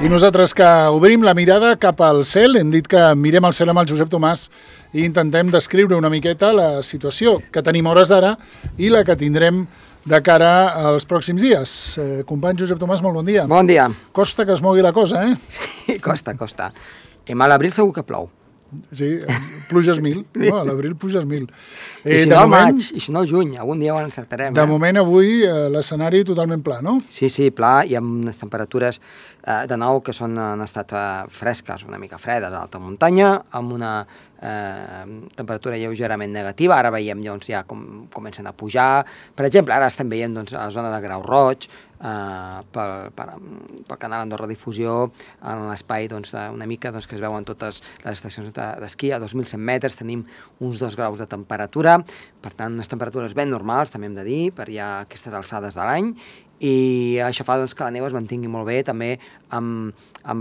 I nosaltres que obrim la mirada cap al cel, hem dit que mirem el cel amb el Josep Tomàs i intentem descriure una miqueta la situació que tenim hores d'ara i la que tindrem de cara als pròxims dies. Company Josep Tomàs, molt bon dia. Bon dia. Costa que es mogui la cosa, eh? Sí, costa. A l'abril segur que plou. Sí, pluges 1000. No, a l'abril pluges 1000. I si no al maig, i si no al juny, algun dia ho encertarem. De moment avui l'escenari totalment pla, no? Sí, pla, i amb unes temperatures de nou que han estat fresques, una mica fredes a l'alta muntanya, amb una temperatura lleugerament negativa. Ara veiem ja com comencen a pujar. Per exemple, ara estem veient a la zona de Grau Roig, pel canal Andorra Difusió, en l'espai una mica que es veuen totes les estacions d'esquí. A 2.100 metres tenim uns 2 graus de temperatura, per tant unes temperatures ben normals, també hem de dir, per ja aquestes alçades de l'any, i això fa que la neu es mantingui molt bé, també amb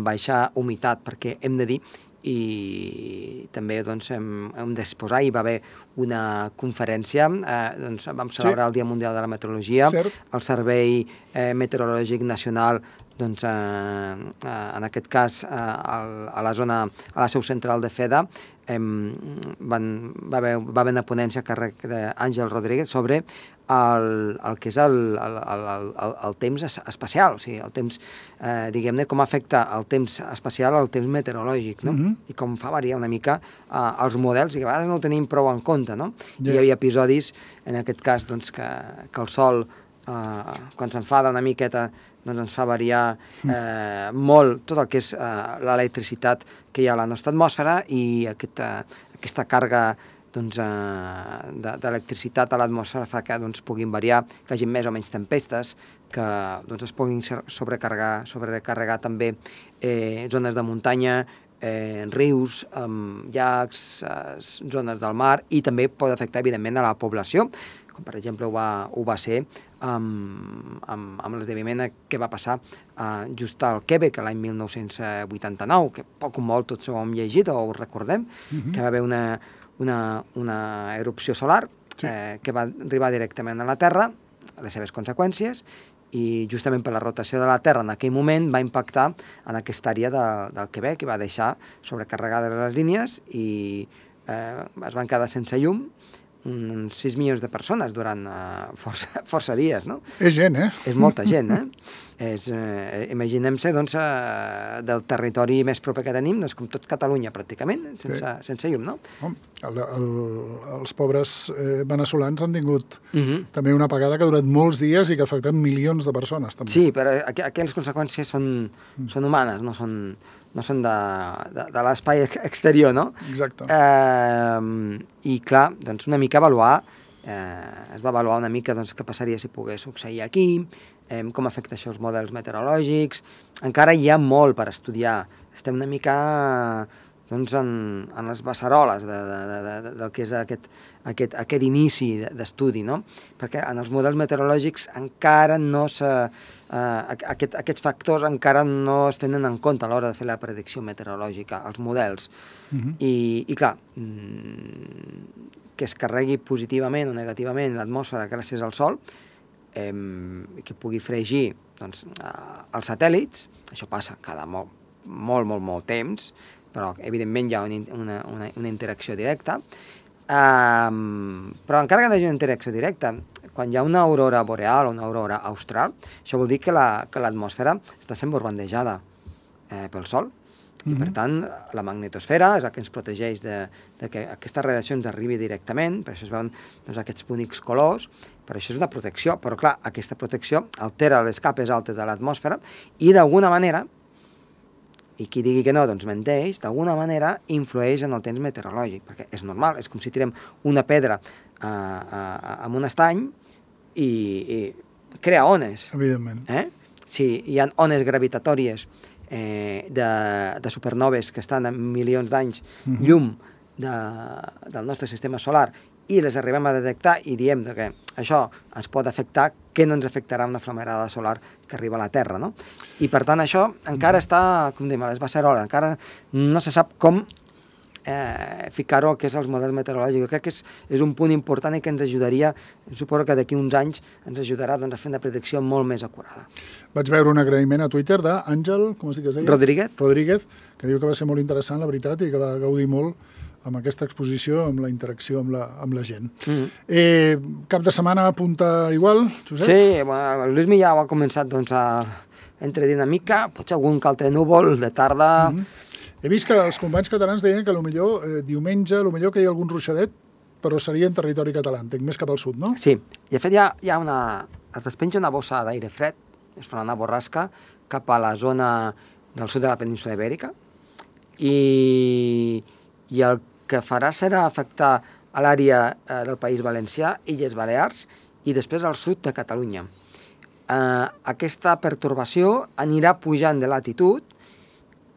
baixa humitat, perquè hem de dir, i també hem d'exposar, hi va haver una conferència, vam celebrar el Dia Mundial de la Meteorologia, el Servei Meteorològic Nacional, en aquest cas a la seu central de FEDA, va haver una ponència a càrrec d'Àngel Rodríguez sobre el que és el temps espacial, o sigui, el temps, diguem-ne, com afecta el temps espacial al temps meteorològic, no? I com fa variar una mica els models, i que a vegades no ho tenim prou en compte, no? Hi havia episodis, en aquest cas, que el sol, quan s'enfada una miqueta, ens fa variar molt tot el que és l'electricitat que hi ha a la nostra atmosfera, i aquesta càrrega d'electricitat a l'atmosfera fa que puguin variar, que hi hagi més o menys tempestes, que es puguin sobrecarregar també zones de muntanya, rius, llacs, zones del mar, i també pot afectar, evidentment, a la població, com per exemple ho va ser amb l'esdeveniment que va passar just al Quebec l'any 1989, que poc o molt tots ho hem llegit o ho recordem, que va haver una erupció solar que va arribar directament a la Terra, les seves conseqüències, i justament per la rotació de la Terra en aquell moment va impactar en aquesta àrea del Quebec i va deixar sobrecarregades les línies i es van quedar sense llum uns 6 milions de persones durant força dies, no? És gent, eh? És molta gent, Imaginem-se, del territori més proper que tenim, com tot Catalunya, pràcticament, sense llum, no? Els pobres veneçolans han tingut també una apagada que ha durat molts dies i que ha afectat milions de persones, també. Sí, però aquelles conseqüències són humanes, no són de l'espai exterior, no? Exacte. I clar, una mica avaluar, es va avaluar una mica què passaria si pogués succeir aquí, com afecta això els models meteorològics. Encara hi ha molt per estudiar. Estem una mica en les beceroles del que és aquest inici d'estudi, no? Perquè en els models meteorològics encara no aquests factors encara no es tenen en compte a l'hora de fer la predicció meteorològica, els models. I clar, que es carregui positivament o negativament l'atmosfera gràcies al sol, que pugui fregir els satèl·lits, això passa cada molt temps, però evidentment hi ha una interacció directa, però encara que no hi hagi una interacció directa, quan hi ha una aurora boreal o una aurora austral, això vol dir que l'atmosfera està sent bombardejada pel sol, i per tant la magnetosfera és la que ens protegeix de que aquestes radiacions arribi directament, per això es veuen aquests bonics colors, per això és una protecció, però clar, aquesta protecció altera les capes altes de l'atmosfera i d'alguna manera, i qui digui que no, menteix, d'alguna manera influeix en el temps meteorològic, perquè és normal, és com si tirem una pedra amb un estany i crea ones. Evidentment. Si hi ha ones gravitatòries de supernoves que estan a milions d'anys llum del nostre sistema solar i les arribem a detectar i diem que això ens pot afectar, que no ens afectarà una flamarada solar que arriba a la Terra, no? I per tant això encara està, com diem, a les beceroles, encara no se sap com ficar-ho que és els models meteorològics. Crec que és un punt important i que ens ajudaria, suposo que d'aquí uns anys ens ajudarà doncs, a fer una predicció molt més acurada. Vaig veure un agraïment a Twitter d'Àngel, com es diu que es deia? Rodríguez, que diu que va ser molt interessant, la veritat, i que va gaudir molt amb aquesta exposició, amb la interacció amb la gent. Cap de setmana apunta igual, Josep? Sí, bueno, el Luismi ja ho ha començat doncs, a entre dinàmica, potser algun que altre núvol de tarda... He vist que els companys catalans deien que potser diumenge, potser que hi ha algun ruixadet, però seria en territori català, entenc, més cap al sud, no? Sí, i de fet hi ha es despenja una bossa d'aire fred, es farà una borrasca cap a la zona del sud de la península Ibèrica, i el que farà serà afectar a l'àrea del País Valencià, Illes Balears, i després al sud de Catalunya. Aquesta pertorbació anirà pujant de latitud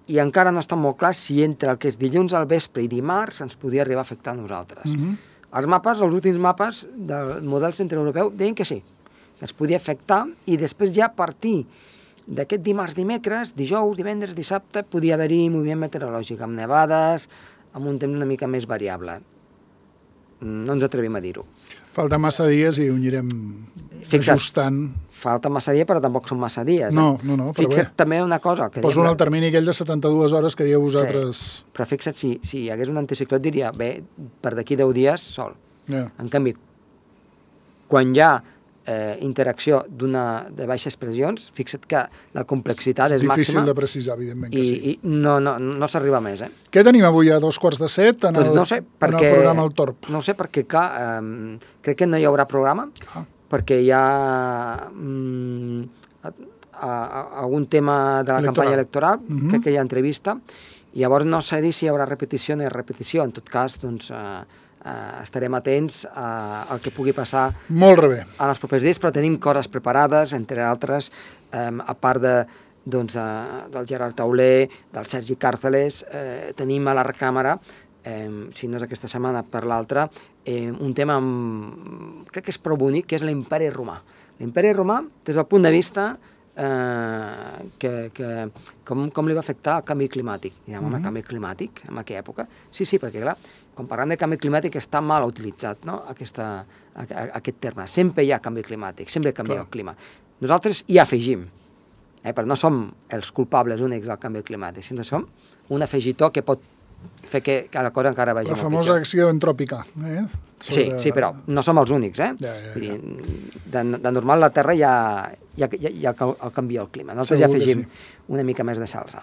i encara no està molt clar si entre el que és dilluns al vespre i dimarts ens podria arribar a afectar a nosaltres. Els mapes, els últims mapes del model centreeuropeu deien que sí, que ens podia afectar, i després ja a partir d'aquest dimarts, dimecres, dijous, divendres, dissabte, podia haver-hi moviment meteorològic, amb nevades, amb un temps una mica més variable. No ens atrevim a dir-ho. Falta massa dies i ho anirem ajustant. Falta massa dies, però tampoc són massa dies. No, però fixa't també una cosa. Poso en el termini aquell de 72 hores que dieu vosaltres. Sí, però fixa't, si hi hagués un anticicló et diria, bé, per d'aquí 10 dies sol. En canvi, quan hi ha interacció de baixes pressions, fixa't que la complexitat és màxima. És difícil de precisar, evidentment que sí. I no s'arriba més, Què tenim avui a 2:45 en el programa El Torb? No ho sé, perquè, clar, crec que no hi haurà programa, perquè hi ha algun tema de la campanya electoral, crec que hi ha entrevista, i llavors no sé dir si hi haurà repetició o no hi ha repetició. En tot cas, doncs, estarem atents al que pugui passar molt bé en els propers dies, però tenim coses preparades, entre altres, a part del Gerard Tauler, del Sergi Càrceles, tenim a la recàmera, si no és aquesta setmana per l'altra, un tema crec que és prou bonic, que és l'imperi romà. L'imperi romà, des del punt de vista com li va afectar el canvi climàtic. Direm, home, canvi climàtic en aquella època? Sí, perquè clar, quan parlem de canvi climàtic està mal utilitzat, no? aquest terme. Sempre hi ha canvi climàtic, sempre canvia el clima. Nosaltres hi afegim, però no som els culpables únics del canvi climàtic, sinó som un afegitó que pot fer que la cosa encara vagi molt pitjor. La famosa acció entròpica. Sí, però no som els únics. De normal la Terra ja canvia el clima. Nosaltres ja afegim una mica més de salsa.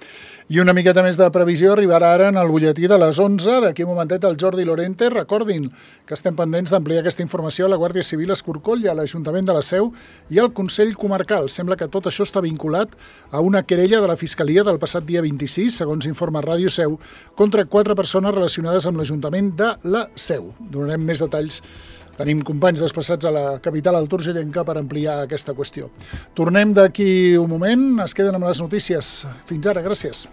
I una miqueta més de previsió arribarà ara en el butlletí de les 11. D'aquí un momentet el Jordi Lorente. Recordin que estem pendents d'ampliar aquesta informació a la Guàrdia Civil a Escorcoll i a l'Ajuntament de la Seu i al Consell Comarcal. Sembla que tot això està vinculat a una querella de la Fiscalia del passat dia 26, segons informa Ràdio Seu, contra 4 persones relacionades amb l'Ajuntament de la Seu. Donarem més detalls. Tenim companys desplaçats a la capital alturgellenca per ampliar aquesta qüestió. Tornem d'aquí un moment, es queden amb les notícies. Fins ara, gràcies.